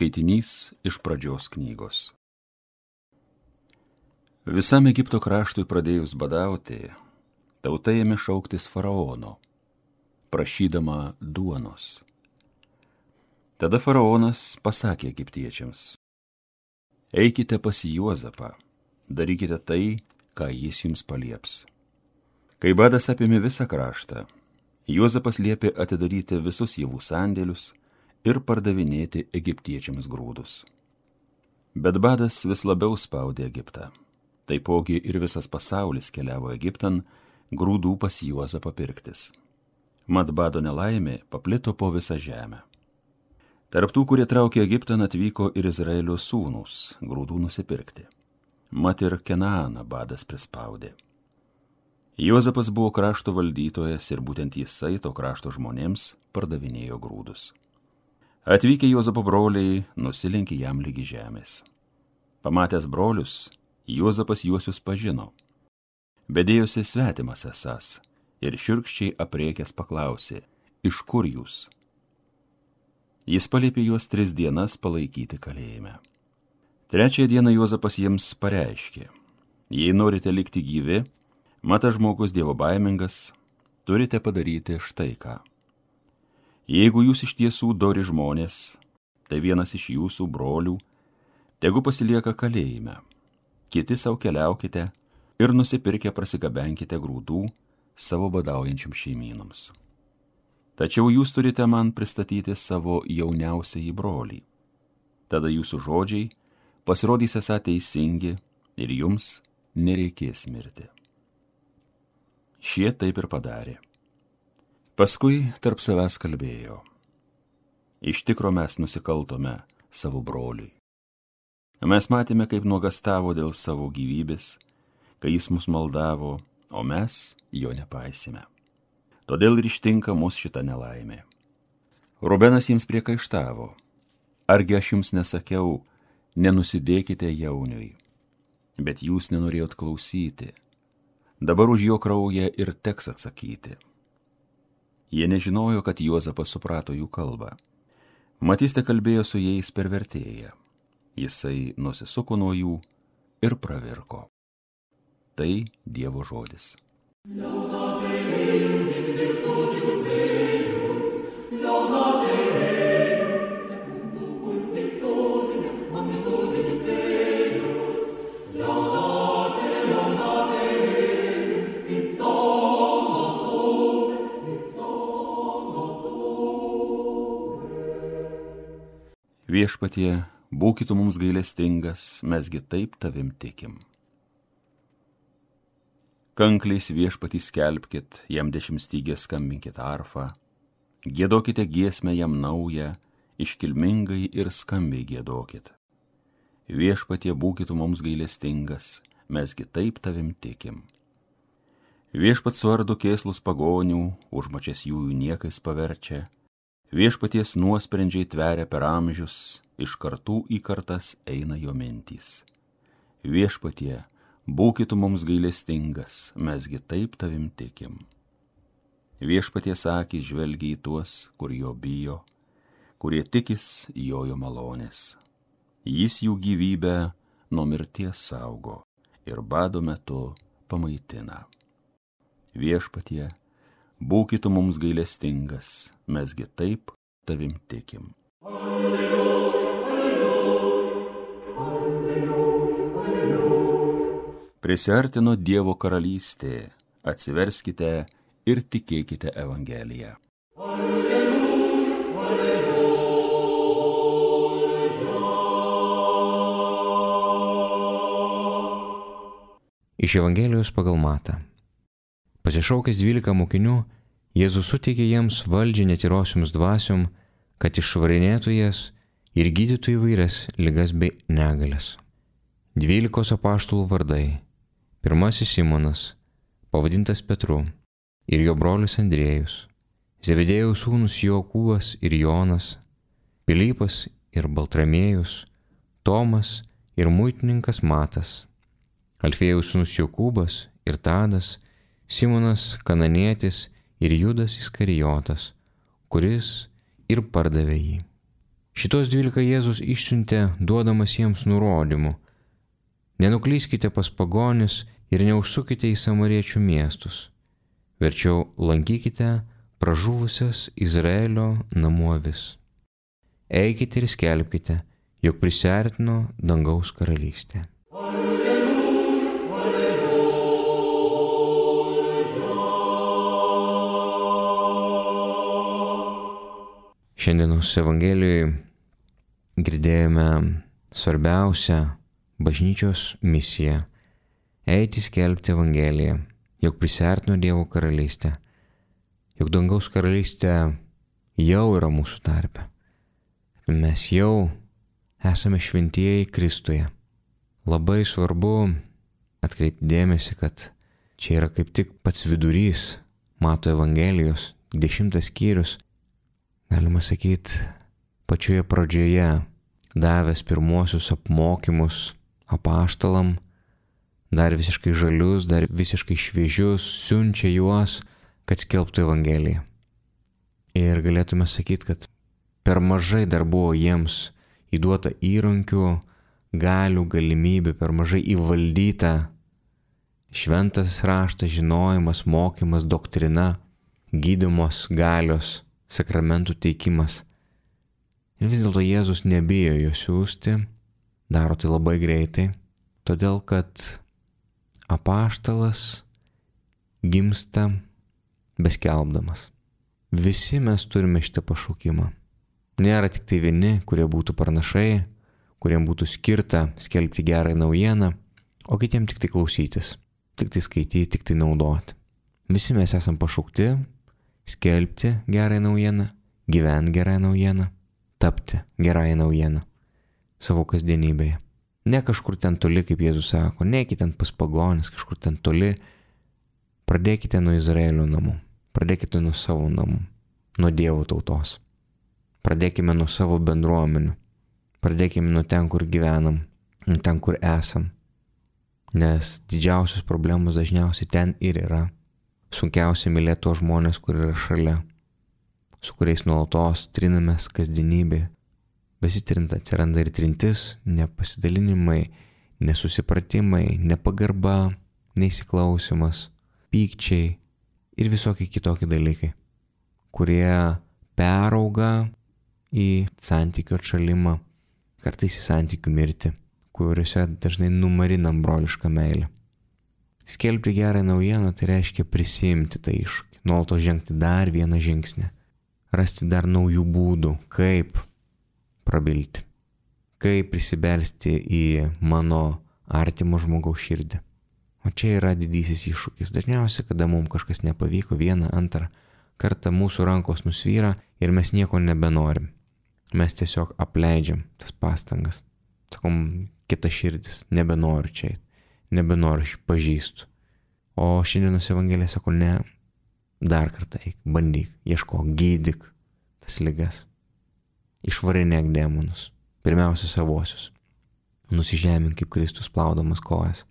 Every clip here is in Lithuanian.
Skaitinys iš Pradžios knygos. Visam Egipto kraštui pradėjus badauti, tauta ėmė šauktis faraono, prašydama duonos. Tada faraonas pasakė egiptiečiams: eikite pas Juozapą, darykite tai, ką jis jums palieps. Kai badas apėmė visą kraštą, Juozapas liepė atidaryti visus javų sandėlius ir pardavinėti egiptiečiams grūdus. Bet badas vis labiau spaudė Egiptą. Taipogi ir visas pasaulis keliavo Egiptan grūdų pas Juozapą pirktis. Mat bado nelaimė paplito po visą žemę. Tarp tų, kurie traukė Egiptan, atvyko ir Izraelio sūnūs grūdų nusipirkti. Mat ir Kenaaną badas prispaudė. Juozapas buvo krašto valdytojas ir būtent jisai to krašto žmonėms pardavinėjo grūdus. Atvykę Juozapo broliai nusilenkė jam lygi žemės. Pamatęs brolius, Juozapas juosius pažino, bet dėjosi svetimas esąs ir šiurkščiai apriekęs paklausė: iš kur jūs? Jis paliepė juos 3 dienas palaikyti kalėjime. 3 dieną Juozapas jiems pareiškė: jei norite likti gyvi, mat žmogus dievobaimingas, turite padaryti štai ką. Jeigu jūs iš tiesų dori žmonės, tai vienas iš jūsų brolių tegu pasilieka kalėjime, kiti savo keliaukite ir nusipirkę prasigabenkite grūdų savo badaujančiam šeimynams. Tačiau jūs turite man pristatyti savo jauniausiąjį brolį. Tada jūsų žodžiai pasirodys esą teisingi ir jums nereikės mirti. Šie taip ir padarė. Paskui tarp savęs kalbėjo: iš tikro mes nusikaltome savo broliui. Mes matėme, kaip nuogastavo dėl savo gyvybės, kai jis mus maldavo, o mes jo nepaisime. Todėl ir ištinka mus šita nelaimė. Rubenas jiems priekaištavo: argi aš jums nesakiau, nenusidėkite jauniui, bet jūs nenorėjot klausyti. Dabar už jo kraują ir teks atsakyti. Jie nežinojo, kad Juozapas suprato jų kalbą. Mat jis tekalbėjo su jais per vertėją. Jisai nusisuko nuo jų ir pravirko. Tai Dievo žodis. Viešpatie, būkit mums gailestingas, mesgi taip tavim tikim. Kankliais viešpatį skelbkit, jam 10 stygės skambinkit arfą, giedokite giesmę jam naują, iškilmingai ir skambiai giedokit. Viešpatie, būkit mums gailestingas, mesgi taip tavim tikim. Viešpat suardo kėslus pagonių, užmačias jų niekais paverčia. Viešpaties nuosprendžiai tveria per amžius, iš kartų į kartas eina jo mintys. Viešpatie, būkit mums gailestingas, mesgi taip tavim tikim. Viešpaties akys žvelgia į tuos, kur jo bijo, kurie tikis jo malonės. Jis jų gyvybę nuo mirties saugo ir bado metu pamaitina. Viešpatie, būkit mums gailestingas, mesgi taip tavim tikim. Alleluja, alleluja, alleluja, alleluja. Prisiartino Dievo karalystė, atsiverskite ir tikėkite Evangeliją. Alleluja, alleluja. Iš Evangelijos pagal Matą. Pasišaukęs 12 mokinių, Jėzus suteikė jiems valdžią netyrosioms dvasiom, kad išvarinėtų jas ir gydytų įvairias ligas bei negalias. 12 apaštalų vardai. Pirmasis Simonas, pavadintas Petru, ir jo brolis Andriejus, Zebedėjaus sūnus Jokūbas ir Jonas, Pilypas ir Baltramiejus, Tomas ir muitininkas Matas, Alfėjaus sūnus Jokūbas ir Tadas, Simonas Kananietis ir Judas Iskarijotas, kuris ir pardavė jį. Šitos 12 Jėzus išsiuntė, duodamas jiems nurodymų: nenuklyskite pas pagonis ir neužsukite į samariečių miestus. Verčiau lankykite pražuvusias Izraelio namų avis. Eikite ir skelbkite, jog prisiartino dangaus karalystė. Šiandienos Evangelijoje girdėjome svarbiausią bažnyčios misiją – eiti skelbti Evangeliją, jog prisiartino Dievo karalystė, jog dangaus karalystė jau yra mūsų tarpe. Mes jau esame šventieji Kristuje. Labai svarbu atkreipti dėmesį, kad čia yra kaip tik pats vidurys Mato Evangelijos, 10 skyrius, galima sakyti, pačioje pradžioje davęs pirmuosius apmokymus apaštalam, dar visiškai žalius, dar visiškai šviežius, siunčia juos, kad skelbtų Evangeliją. Ir galėtume sakyti, kad per mažai dar buvo jiems įduota įrankių, galių, galimybių, per mažai įvaldyta šventas raštas, žinojimas, mokymas, doktrina, gydymos galios, sakramentų teikimas. Ir vis dėlto Jėzus nebijo jo siųsti, daro tai labai greitai, todėl kad apaštalas gimsta beskelbdamas. Visi mes turime šitą pašaukimą. Nėra tik tai vieni, kurie būtų pranašai, kuriem būtų skirta skelbti gerą naujieną, o kitiem tik tai klausytis, tik tai skaityti, tik tai naudoti. Visi mes esam pašaukti skelbti gerą naujieną, gyventi gerą naujieną, tapti gerąją naujieną savo kasdienybėje. Ne kažkur ten toli, kaip Jėzus sako, neikite ten pas pagonis, kažkur ten toli. Pradėkite nuo Izraelio namų, pradėkite nuo savo namų, nuo Dievo tautos. Pradėkime nuo savo bendruomenių, pradėkime nuo ten, kur gyvenam, nuo ten, kur esam. Nes didžiausios problemos dažniausiai ten ir yra. Sunkiausia mylėti tos žmonės, kur yra šalia, su kuriais nuolatos trinamės kasdienybėje. Besitrint atsiranda ir trintis, nepasidalinimai, nesusipratimai, nepagarba, neįsiklausimas, pykčiai ir visokie kitokie dalykai, kurie perauga į santykių atšalimą, kartais į santykių mirtį, kuriuose dažnai numarinam brolišką meilę. Skelbti gerą naujieną tai reiškia prisimti tą iššūkį, nuolatos žengti dar vieną žingsnį, rasti dar naujų būdų, kaip prabilti, kaip prisibelsti į mano artimo žmogaus širdį. O čia yra didysis iššūkis. Dažniausiai, kada mums kažkas nepavyko, vieną, antrą kartą mūsų rankos nusvyra ir mes nieko nebenorim. Mes tiesiog apleidžiam tas pastangas. Sakom, kita širdis, nebenoriu čia eit, nebenoriu, aš pažįstu. O šiandienos Evangelija sako, ne, dar kartą eik, bandyk, ieškok, gydyk tas ligas. Išvarinėk demonus, pirmiausia savosius. Nusižemink kaip Kristus plaudamas kojas.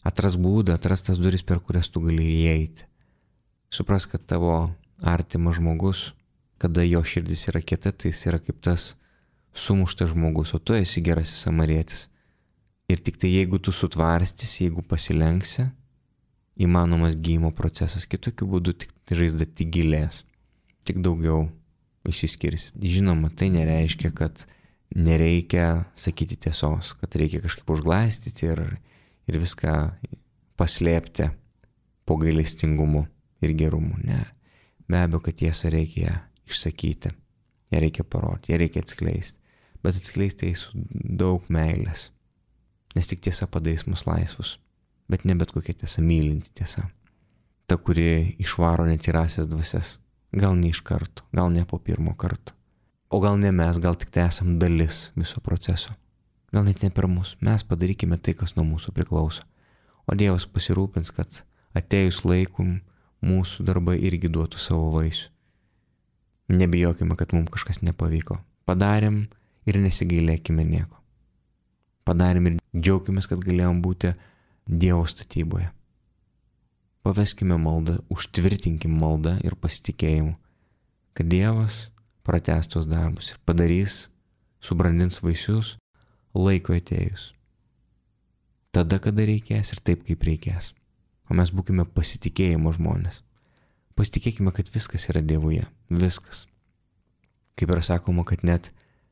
Atras būdą, atras tas duris, per kurias tu gali įeiti. Supras, kad tavo artimas žmogus, kada jo širdis yra kieta, tai jis yra kaip tas sumuštas žmogus, o tu esi gerasis samarietis. Ir tik tai jeigu tu sutvarstysi, jeigu pasilenksi, įmanomas gydymo procesas. Kitokiu būdu tik žaizda tik gilės, tik daugiau išsiskirsi. Žinoma, tai nereiškia, kad nereikia sakyti tiesos, kad reikia kažkaip užglaistyti ir viską paslėpti po gailestingumu ir gerumu. Ne. Be abejo, kad tiesą reikia išsakyti, ją reikia parodyti, ją reikia atskleisti. Bet atskleisti su daug meilės. Nes tik tiesa padarys mus laisvus. Bet ne bet kokia tiesa, mylinti tiesa. Ta, kuri išvaro netyrasias dvasias. Gal ne iš karto, gal ne po pirmo karto. O gal ne mes, gal tik tai esam dalis viso proceso. Gal net ne per mus. Mes padarykime tai, kas nuo mūsų priklauso. O Dievas pasirūpins, kad atėjus laikum mūsų darbai irgi duotų savo vaisių. Nebijokime, kad mums kažkas nepavyko. Padarėm ir nesigailėkime nieko. Padarėm ir džiaukimės, kad galėjom būti Dievo statyboje. Paveskime maldą, užtvirtinkim maldą ir pasitikėjimu, kad Dievas pratęs tos darbus ir padarys, subrandins vaisius laiko atėjus. Tada, kada reikės ir taip, kaip reikės. O mes būkime pasitikėjimo žmonės. Pasitikėkime, kad viskas yra Dievuje. Viskas. Kaip yra sakoma, kad net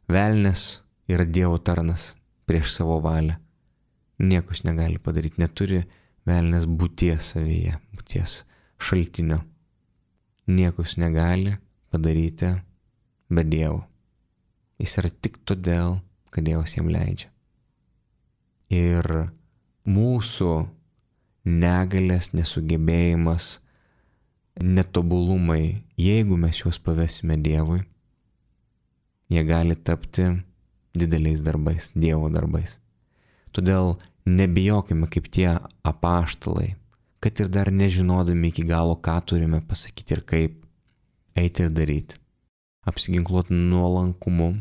velnias yra Dievo tarnas prieš savo valią. Niekas negali padaryti. Neturi velnias būties savyje, būties šaltinio. Niekas negali padaryti be Dievo. Jis yra tik todėl, kad Dievas jam leidžia. Ir mūsų negalės, nesugebėjimas, netobulumai, jeigu mes juos pavesime Dievui, jie gali tapti dideliais darbais, Dievo darbais. Todėl nebijokime kaip tie apaštalai, kad ir dar nežinodami iki galo, ką turime pasakyti ir kaip, eiti ir daryti. Apsiginkluoti nuolankumu,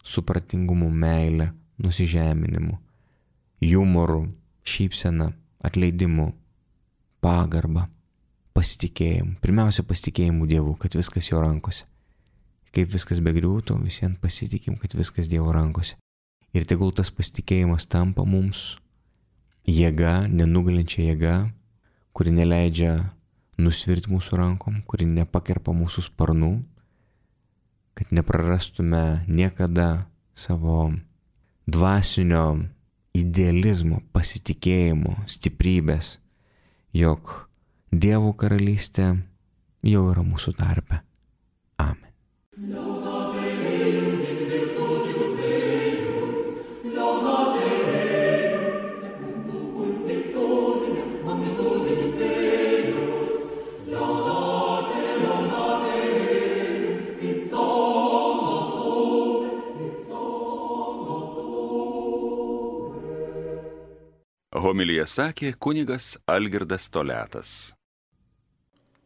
supratingumu, meile, nusižeminimu, jumoru, šypsena, atleidimu, pagarba, pasitikėjimu. Pirmiausia, pasitikėjimu Dievu, kad viskas jo rankose. Kaip viskas begriūtų, visiems pasitikim, kad viskas Dievo rankose. Ir tegul tas pasitikėjimas tampa mums jėga, nenugalinčia jėga, kuri neleidžia nusvirti mūsų rankom, kuri nepakerpa mūsų sparnų, kad neprarastume niekada savo dvasinio idealizmo, pasitikėjimo, stiprybės, jog Dievo karalystė jau yra mūsų tarpe. Amen. Homiliją sakė kunigas Algirdas Toliatas.